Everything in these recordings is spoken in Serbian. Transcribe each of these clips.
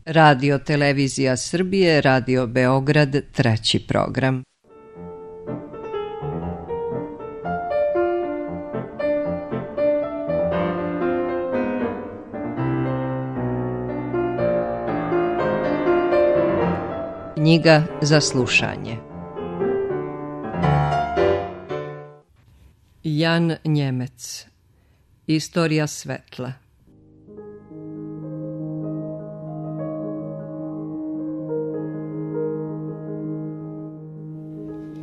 Radio Televizija Srbije, Radio Beograd, treći program. Knjiga za slušanje. Jan Njemec. Istorija svetla.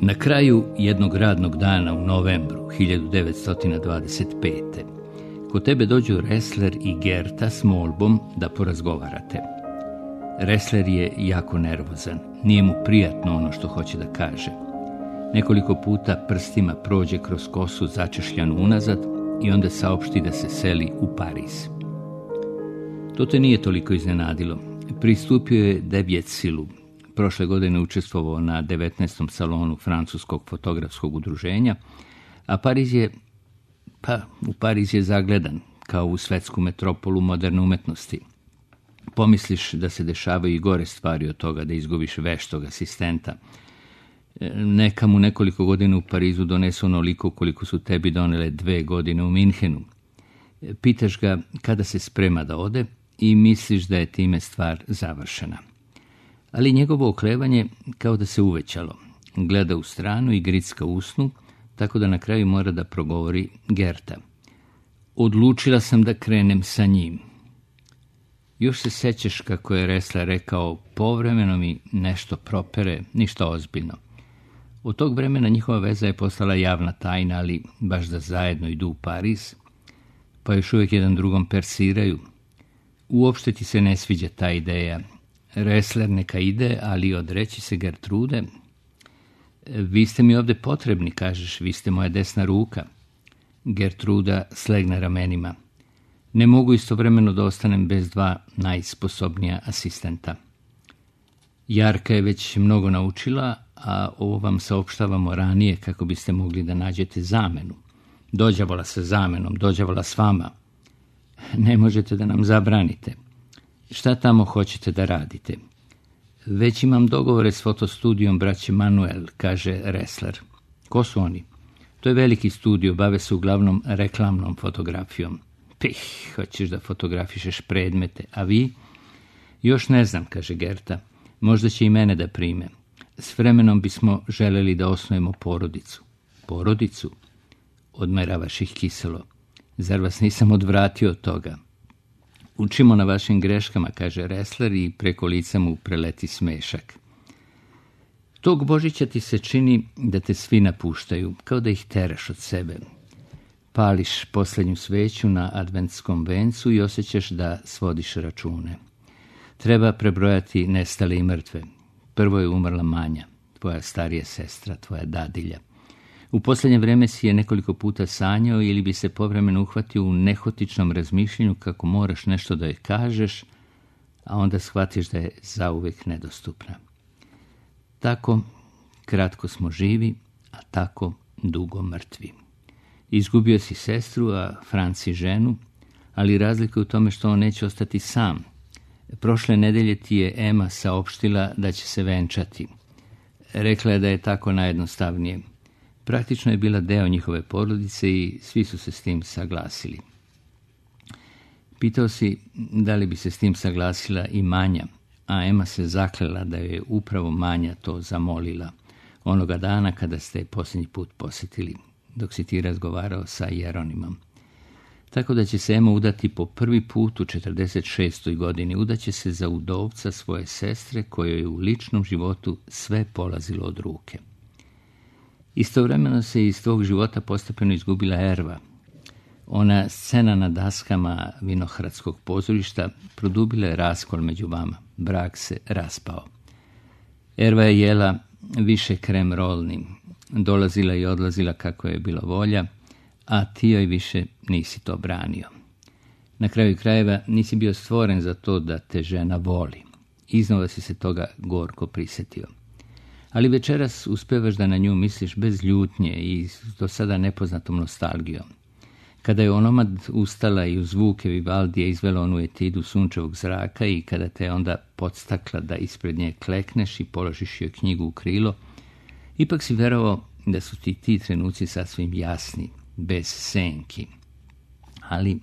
Na kraju jednog radnog dana u novembru 1925. kod tebe dođu Ressler i Gerta s molbom da porazgovarate. Ressler je jako nervozan, nije mu prijatno ono što hoće da kaže. Nekoliko puta prstima prođe kroz kosu začešljanu unazad i onda saopšti da se seli u Pariz. To te nije toliko iznenadilo. Pristupio je Devjetsilu. Prošle godine učestvovao na 19. salonu Francuskog fotografskog udruženja, a u Pariz je zagledan kao u svetsku metropolu moderne umetnosti. Pomisliš da se dešavaju i gore stvari od toga, da izgubiš veštog asistenta. Neka mu nekoliko godina u Parizu donesu onoliko koliko su tebi donele 2 godine u Minhenu. Pitaš ga kada se sprema da ode i misliš da je time stvar završena. Ali njegovo oklevanje kao da se uvećalo. Gleda u stranu i gricka usnu, tako da na kraju mora da progovori Gerta. Odlučila sam da krenem sa njim. Još se sećaš kako je Ressler rekao, povremeno mi nešto propere, ništa ozbiljno. Od tog vremena njihova veza je postala javna tajna, ali baš da zajedno idu u Pariz, pa još uvijek jedan drugom persiraju. Uopšte ti se ne sviđa ta ideja. Ressler neka ide, ali odreći se Gertrude. Vi ste mi ovdje potrebni, kažeš, vi ste moja desna ruka. Gertruda slegne ramenima. Ne mogu istovremeno da ostanem bez 2 najsposobnija asistenta. Jarka je već mnogo naučila, a ovo vam saopštavamo ranije kako biste mogli da nađete zamenu. Dođavola sa zamenom, dođavola s vama. Ne možete da nam zabranite. Šta tamo hoćete da radite? Već imam dogovore s fotostudijom braće Manuel, kaže Ressler. Ko su oni? To je veliki studio, bave se uglavnom reklamnom fotografijom. Hoćeš da fotografišeš predmete, a vi? Još ne znam, kaže Gerta. Možda će i mene da prime. S vremenom bismo želeli da osnujemo porodicu. Porodicu? Odmeravaš ih kiselo. Zar vas nisam odvratio od toga? Učimo na vašim greškama, kaže Ressler i preko lica mu preleti smešak. Tog Božića ti se čini da te svi napuštaju, kao da ih teraš od sebe. Pališ posljednju sveću na adventskom vencu i osjećaš da svodiš račune. Treba prebrojati nestale i mrtve. Prvo je umrla Manja, tvoja starija sestra, tvoja dadilja. U posljednje vrijeme si je nekoliko puta sanjao ili bi se povremeno uhvatio u nehotičnom razmišljenju kako moraš nešto da joj kažeš, a onda shvatiš da je zauvijek nedostupna. Tako kratko smo živi, a tako dugo mrtvi. Izgubio si sestru, a Franci ženu, ali razlika je u tome što on neće ostati sam. Prošle nedelje ti je Ema saopštila da će se venčati. Rekla je da je tako najjednostavnije. Praktično je bila deo njihove porodice i svi su se s tim saglasili. Pitao si da li bi se s tim saglasila i Manja, a Ema se zaklela da je upravo Manja to zamolila onoga dana kada ste je posljednji put posjetili, dok si ti razgovarao sa Jeronimom. Tako da će se Ema udati po prvi put u 46. godini. Udaće se za udovca svoje sestre kojoj je u ličnom životu sve polazilo od ruke. Istovremeno se iz tvog života postepeno izgubila Erva. Ona scena na daskama Vinohradskog pozorišta produbila je raskol među vama. Brak se raspao. Erva je jela više krem rolni. Dolazila i odlazila kako je bila volja, a ti joj više nisi to branio. Na kraju krajeva nisi bio stvoren za to da te žena voli. Iznova si se toga gorko prisjetio. Ali večeras uspevaš da na nju misliš bez ljutnje i do sada nepoznatom nostalgijom. Kada je onomad ustala i uz zvuke Vivaldija izvela onu etidu sunčevog zraka i kada te onda podstakla da ispred nje klekneš i položiš joj knjigu u krilo, ipak si verovao da su ti trenuci sasvim jasni, bez senki. Ali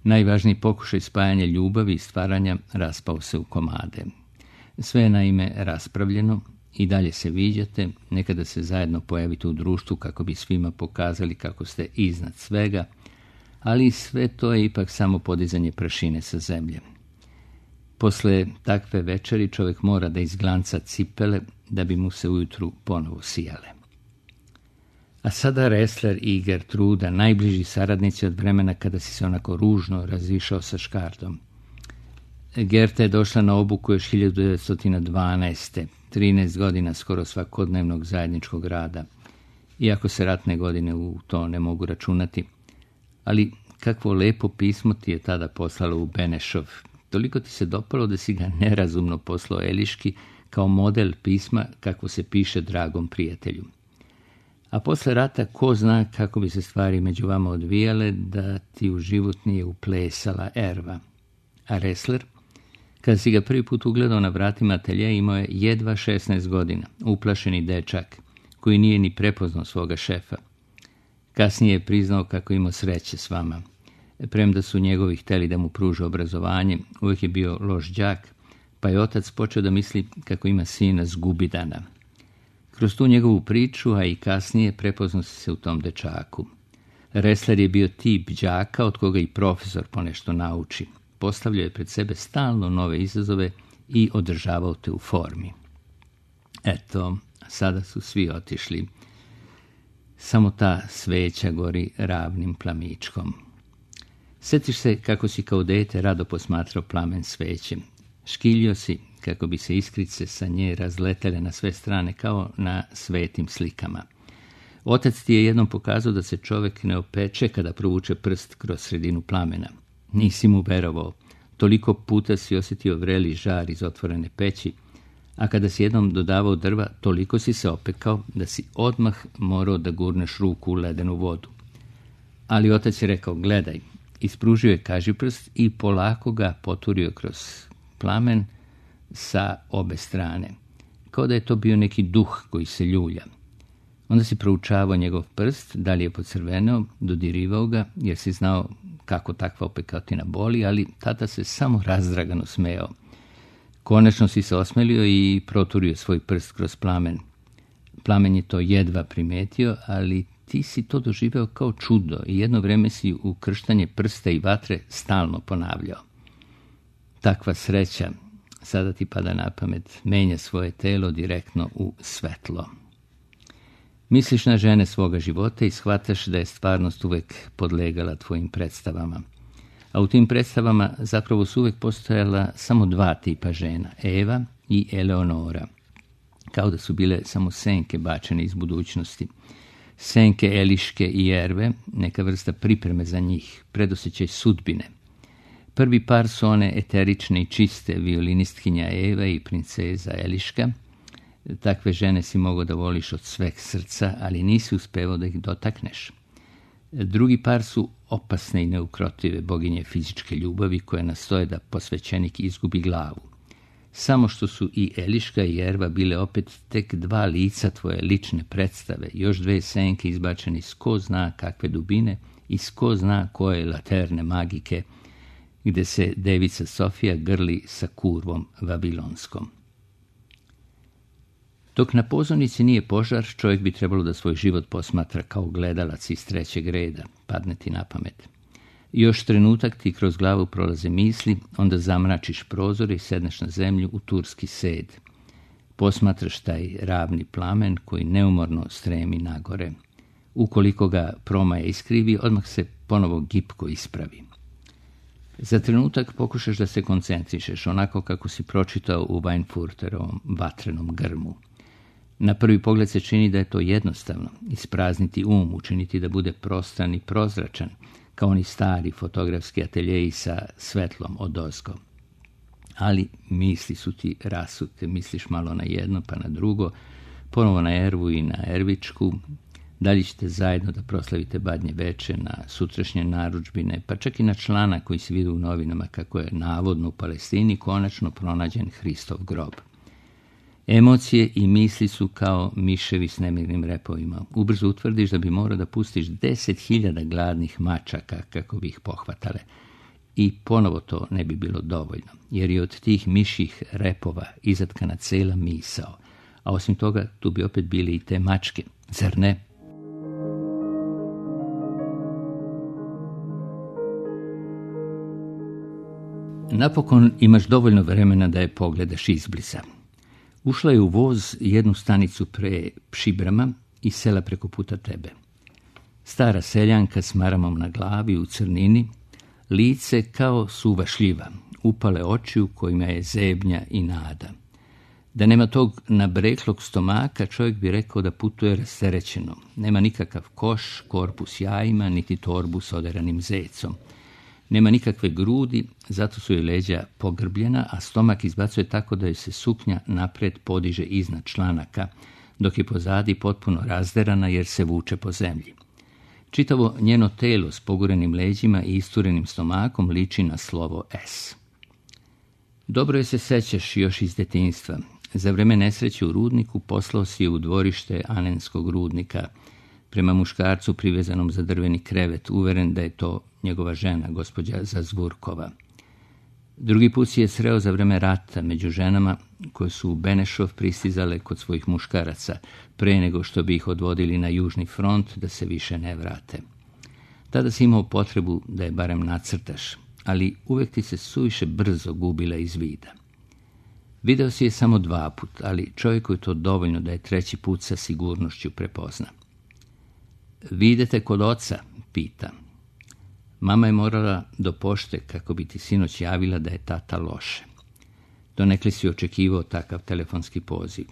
najvažniji pokušaj spajanja ljubavi i stvaranja raspao se u komade. Sve je naime raspravljeno, i dalje se viđate, nekada se zajedno pojavite u društvu kako bi svima pokazali kako ste iznad svega, ali sve to je ipak samo podizanje prašine sa zemlje. Posle takve večeri čovjek mora da izglanca cipele da bi mu se ujutru ponovo sijale. A sada Ressler i Gertruda, najbliži saradnici od vremena kada si se onako ružno razišao sa Škardom. Gerta je došla na obuku još 1912. 13 godina skoro svakodnevnog zajedničkog rada, iako se ratne godine u to ne mogu računati. Ali kakvo lepo pismo ti je tada poslalo u Benešov. Toliko ti se dopalo da si ga nerazumno poslao Eliški kao model pisma kako se piše dragom prijatelju. A posle rata ko zna kako bi se stvari među vama odvijale da ti u život nije uplesala Erva. A Ressler, kada si ga prvi put ugledao na vratima ateljeja, imao je jedva 16 godina, uplašeni dečak, koji nije ni prepoznao svoga šefa. Kasnije je priznao kako imao sreće s vama. Premda su njegovi hteli da mu pruže obrazovanje, uvijek je bio loš đak, pa je otac počeo da misli kako ima sina zgubidana. Kroz tu njegovu priču, a i kasnije, prepoznao se u tom dečaku. Ressler je bio tip đaka od koga i profesor ponešto nauči. Postavljao je pred sebe stalno nove izazove i održavao te u formi. Eto, sada su svi otišli. Samo ta sveća gori ravnim plamičkom. Sjetiš se kako si kao dete rado posmatrao plamen sveće. Škiljio si kako bi se iskrice sa nje razletele na sve strane kao na svetim slikama. Otac ti je jednom pokazao da se čovjek ne opeče kada provuče prst kroz sredinu plamena. Nisi mu verovao. Toliko puta si osjetio vreli žar iz otvorene peći, a kada si jednom dodavao drva, toliko si se opekao da si odmah morao da gurneš ruku u ledenu vodu. Ali otac je rekao, gledaj, ispružio je kažiprst i polako ga poturio kroz plamen sa obe strane, kao da je to bio neki duh koji se ljulja. Onda si proučavao njegov prst, da li je pocrveneo, dodirivao ga, jer si znao kako takva opekatina boli, ali tata se samo razdragano smejao. Konačno si se osmelio i proturio svoj prst kroz plamen. Plamen je to jedva primetio, ali ti si to doživeo kao čudo i jedno vreme si ukrštanje prsta i vatre stalno ponavljao. Takva sreća, sada ti pada na pamet, menja svoje telo direktno u svetlo. Misliš na žene svoga života i shvataš da je stvarnost uvek podlegala tvojim predstavama. A u tim predstavama zapravo su uvek postojala samo dva tipa žena, Eva i Eleonora. Kao da su bile samo senke bačene iz budućnosti. Senke Eliške i Erve, neka vrsta pripreme za njih, predosjećaj sudbine. Prvi par su one eterične i čiste violinistkinja Eva i princeza Eliška. Takve žene si mogao da voliš od sveg srca, ali nisi uspevao da ih dotakneš. Drugi par su opasne i neukrotive boginje fizičke ljubavi koje nastoje da posvećenik izgubi glavu. Samo što su i Eliška i Erva bile opet tek dva lica tvoje lične predstave, još dve senke izbačene iz ko zna kakve dubine i iz ko zna koje laterne magike, gde se devica Sofija grli sa kurvom vabilonskom. Dok na pozornici nije požar, čovjek bi trebalo da svoj život posmatra kao gledalac iz trećeg reda, padne ti na pamet. Još trenutak ti kroz glavu prolaze misli, onda zamračiš prozor i sedneš na zemlju u turski sed. Posmatraš taj ravni plamen koji neumorno stremi nagore. Ukoliko ga promaja iskrivi, odmah se ponovo gipko ispravi. Za trenutak pokušaš da se koncentrišeš, onako kako si pročitao u Weinfurterovom vatrenom grmu. Na prvi pogled se čini da je to jednostavno, isprazniti um, učiniti da bude prostran i prozračan, kao oni stari fotografski ateljeji sa svetlom odozgo. Ali misli su ti rasute, misliš malo na jedno pa na drugo, ponovo na Ervu i na Ervičku, Da li ćete zajedno da proslavite Badnje veče, na sutrašnje narudžbine, pa čak i na člana koji se vidi u novinama kako je navodno u Palestini konačno pronađen Hristov grob. Emocije i misli su kao miševi s nemirnim repovima. Ubrzo utvrdiš da bi morao da pustiš 10.000 gladnih mačaka kako bi ih pohvatale. I ponovo to ne bi bilo dovoljno, jer je od tih mišjih repova izatkana cela misao. A osim toga, tu bi opet bili i te mačke, zar ne? Napokon imaš dovoljno vremena da je pogledaš izbliza. Ušla je u voz jednu stanicu pre Pšibrama i sela preko puta tebe. Stara seljanka s maramom na glavi u crnini, lice kao suva šljiva, upale oči u kojima je zebnja i nada. Da nema tog nabreklog stomaka, čovjek bi rekao da putuje rasterećeno. Nema nikakav koš, korpus jajima, niti torbu s oderanim zecom. Nema nikakve grudi, zato su joj leđa pogrbljena, a stomak izbacuje tako da joj se suknja napred podiže iznad članaka, dok je pozadi potpuno razderana jer se vuče po zemlji. Čitavo njeno telo s pogurenim leđima i isturenim stomakom liči na slovo S. Dobro je se sećaš još iz detinjstva. Za vreme nesreće u rudniku poslao si je u dvorište Anenskog rudnika, prema muškarcu privezanom za drveni krevet, uveren da je to njegova žena, gospođa Zazvurkova. Drugi put si je sreo za vreme rata među ženama koje su u Benešov pristizale kod svojih muškaraca, pre nego što bi ih odvodili na južni front da se više ne vrate. Tada si imao potrebu da je barem nacrtaš, ali uvek ti se suviše brzo gubila iz vida. Video si je samo 2 put, ali čovjeku je to dovoljno da je 3. put sa sigurnošću prepozna. Vi idete kod oca, pita. Mama je morala do pošte kako bi ti sinoć javila da je tata loše. Donekle si očekivao takav telefonski poziv.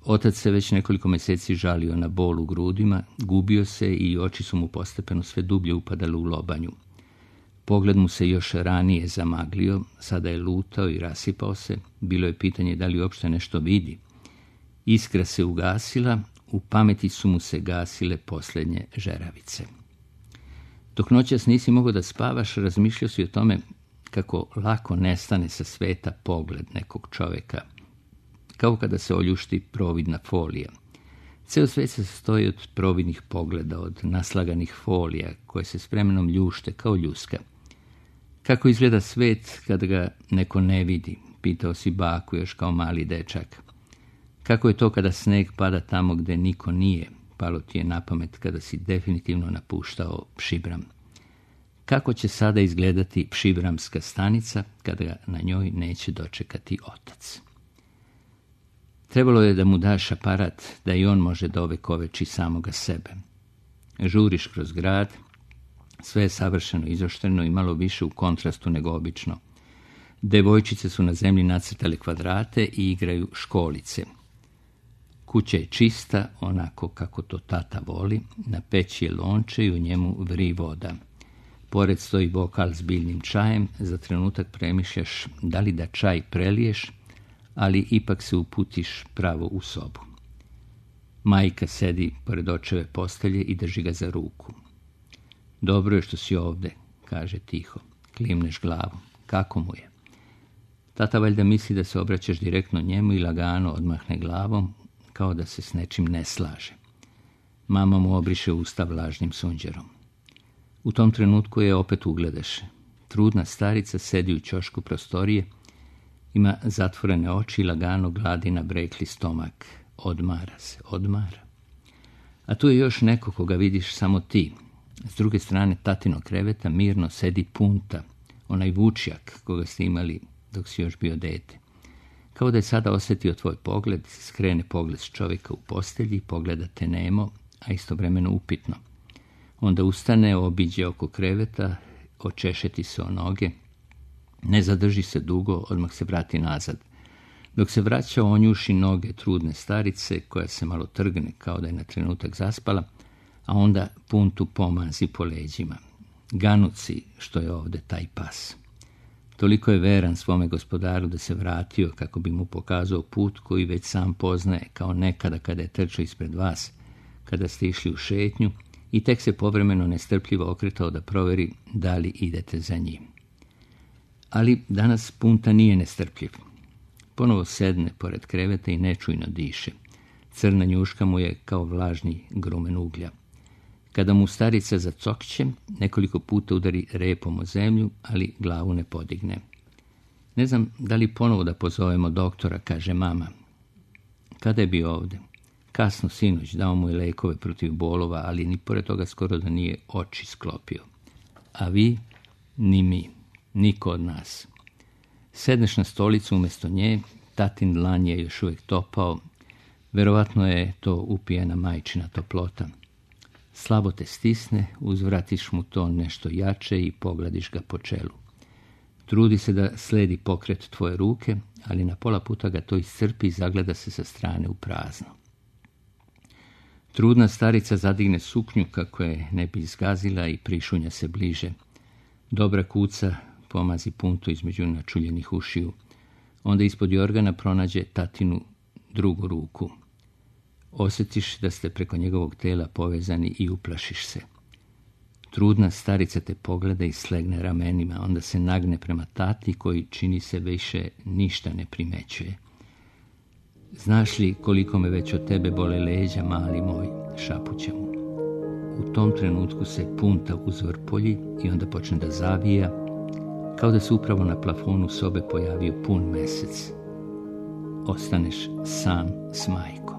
Otac se već nekoliko mjeseci žalio na bol u grudima, gubio se i oči su mu postepeno sve dublje upadale u lobanju. Pogled mu se još ranije zamaglio, sada je lutao i rasipao se, bilo je pitanje da li uopšte nešto vidi. Iskra se ugasila, u pameti su mu se gasile posljednje žeravice. Dok noćas nisi mogao da spavaš, razmišljao si o tome kako lako nestane sa sveta pogled nekog čovjeka, kao kada se oljušti providna folija. Ceo svet se sastoji od providnih pogleda, od naslaganih folija koje se s vremenom ljušte kao ljuska. Kako izgleda svet kada ga neko ne vidi, pitao si baku još kao mali dečak. Kako je to kada sneg pada tamo gde niko nije, palo ti je na pamet kada si definitivno napuštao Pšibram. Kako će sada izgledati Pšibramska stanica kada ga na njoj neće dočekati otac? Trebalo je da mu daš aparat da i on može da ovekoveči samoga sebe. Žuriš kroz grad, sve je savršeno izoštreno i malo više u kontrastu nego obično. Devojčice su na zemlji nacrtale kvadrate i igraju školice. Kuća je čista, onako kako to tata voli, na peći je lonče i u njemu vri voda. Pored stoji bokal s biljnim čajem, za trenutak premišljaš da li da čaj preliješ, ali ipak se uputiš pravo u sobu. Majka sedi pored očeve postelje i drži ga za ruku. Dobro je što si ovde, kaže tiho. Klimneš glavu. Kako mu je? Tata valjda misli da se obraćaš direktno njemu i lagano odmahne glavom, kao da se s nečim ne slaže. Mama mu obriše usta vlažnim sunđerom. U tom trenutku je opet ugledaš. Trudna starica sedi u ćošku prostorije, ima zatvorene oči i lagano gladi na brekli stomak. Odmara se, odmara. A tu je još neko koga vidiš samo ti. S druge strane tatinog kreveta mirno sedi Punta, onaj vučjak koga ste imali dok si još bio dete. Kao da je sada osjetio tvoj pogled, skrene pogled s čovjeka u postelji, pogleda te nemo, a istovremeno upitno. Onda ustane, obiđe oko kreveta, očešeti se o noge, ne zadrži se dugo, odmah se vrati nazad. Dok se vraća, onjuši noge trudne starice, koja se malo trgne kao da je na trenutak zaspala, a onda Puntu pomazi po leđima. Ganuci što je ovde taj pas. Toliko je veran svome gospodaru da se vratio kako bi mu pokazao put koji već sam poznaje kao nekada kada je trčao ispred vas, kada ste išli u šetnju i tek se povremeno nestrpljivo okretao da proveri da li idete za njim. Ali danas Punta nije nestrpljiv. Ponovo sedne pored kreveta i nečujno diše. Crna njuška mu je kao vlažni grumen uglja. Kada mu starica zacokće, nekoliko puta udari repom o zemlju, ali glavu ne podigne. Ne znam da li ponovo da pozovemo doktora, kaže mama. Kada je bio ovde? Kasno sinoć, dao mu je lekove protiv bolova, ali ni pored toga skoro da nije oči sklopio. A vi? Ni mi. Niko od nas. Sedneš na stolicu umjesto nje, tatin dlan je još uvijek topao, verovatno je to upijena majčina toplota. Slabo te stisne, uzvratiš mu to nešto jače i pogladiš ga po čelu. Trudi se da sledi pokret tvoje ruke, ali na pola puta ga to iscrpi i zagleda se sa strane u prazno. Trudna starica zadigne suknju kako je ne bi zgazila i prišunja se bliže. Dobra kuca pomazi Puntu između načuljenih ušiju. Onda ispod jorgana pronađe tatinu drugu ruku. Osjetiš da ste preko njegovog tela povezani i uplašiš se. Trudna starica te pogleda i slegne ramenima, onda se nagne prema tati koji čini se više ništa ne primećuje. Znaš li koliko me već od tebe bole leđa, mali moj, šapuće mu. U tom trenutku se Punta uzvrpolji i onda počne da zavija, kao da se upravo na plafonu sobe pojavio pun mesec. Ostaneš sam s majkom.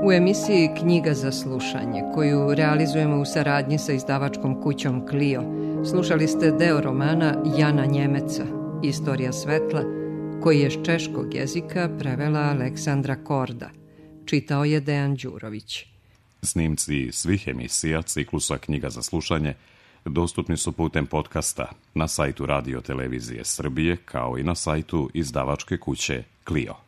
U emisiji Knjiga za slušanje, koju realizujemo u saradnji sa izdavačkom kućom Clio, slušali ste deo romana Jana Njemeca, Istorija svetla, koji je s češkog jezika prevela Aleksandra Korda. Čitao je Dejan Đurović. Snimci svih emisija ciklusa Knjiga za slušanje dostupni su putem podcasta na sajtu Radio Televizije Srbije, kao i na sajtu izdavačke kuće Clio.